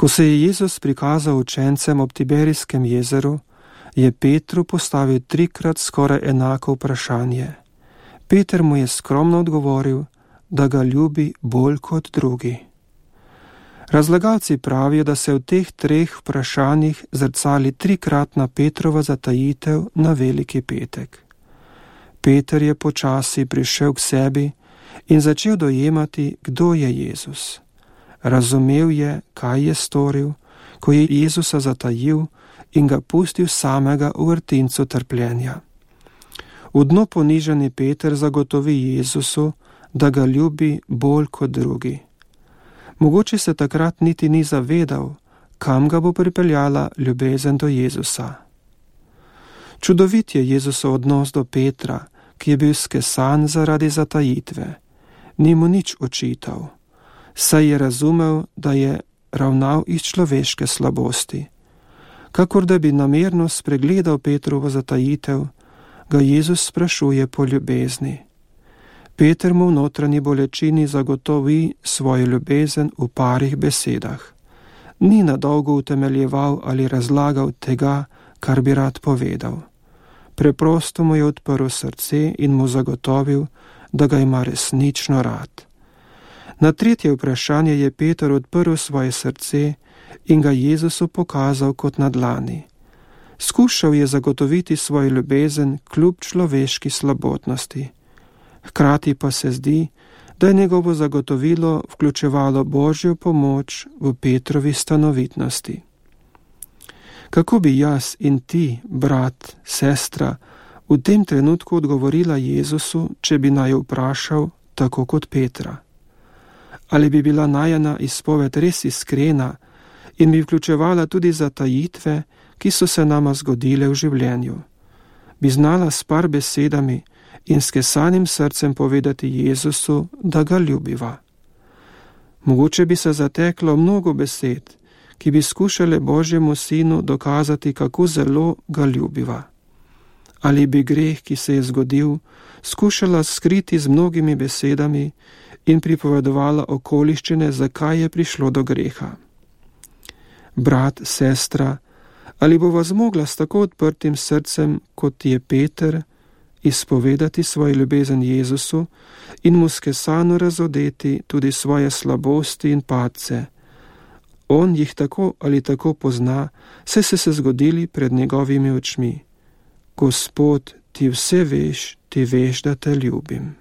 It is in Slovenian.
Ko se je Jezus prikazal učencem ob Tiberijskem jezeru, je Petru postavil 3-krat skoraj enako vprašanje. Peter mu je skromno odgovoril, da ga ljubi bolj kot drugi. Razlagalci pravijo, da se v teh 3 vprašanjih zrcali 3-kratna Petrova zatajitev na Veliki petek. Peter je počasi prišel k sebi in začel dojemati, kdo je Jezus. Razumel je, kaj je storil, ko je Jezusa zatajil in ga pustil samega v vrtincu trpljenja. V dno ponižani Peter zagotovi Jezusu, da ga ljubi bolj kot drugi. Mogoče se takrat niti ni zavedal, kam ga bo pripeljala ljubezen do Jezusa. Čudovit je Jezusov odnos do Petra, ki je bil skesan zaradi zatajitve. Ni mu nič očital, saj je razumel, da je ravnal iz človeške slabosti. Kakor da bi namerno spregledal Petrovo zatajitev, ga Jezus sprašuje po ljubezni. Peter mu v notranji bolečini zagotovi svojo ljubezen v parih besedah. Ni nadolgo utemeljeval ali razlagal tega, kar bi rad povedal. Preprosto mu je odprl srce in mu zagotovil, da ga ima resnično rad. Na 3. vprašanje je Peter odprl svoje srce in ga Jezusu pokazal kot na dlani. Skušal je zagotoviti svojo ljubezen kljub človeški slabotnosti. Hkrati pa se zdi, da je njegovo zagotovilo vključevalo Božjo pomoč v Petrovi stanovitnosti. Kako bi jaz in ti, brat, sestra, v tem trenutku odgovorila Jezusu, če bi naju vprašal tako kot Petra? Ali bi bila najina izpoved res iskrena in bi vključevala tudi zatajitve, ki so se nama zgodile v življenju? Bi znala s par besedami in skesanim srcem povedati Jezusu, da ga ljubiva? Mogoče bi se zateklo mnogo besed, ki bi skušale Božjemu sinu dokazati, kako zelo ga ljubiva. Ali bi greh, ki se je zgodil, skušala skriti z mnogimi besedami in pripovedovala okoliščine, zakaj je prišlo do greha. Brat, sestra, ali bova zmogla s tako odprtim srcem, kot je Peter, izpovedati svojo ljubezen Jezusu in mu skesano razodeti tudi svoje slabosti in padce? On jih tako ali tako pozna, saj so se zgodili pred njegovimi očmi. Gospod, ti vse veš, ti veš, da te ljubim.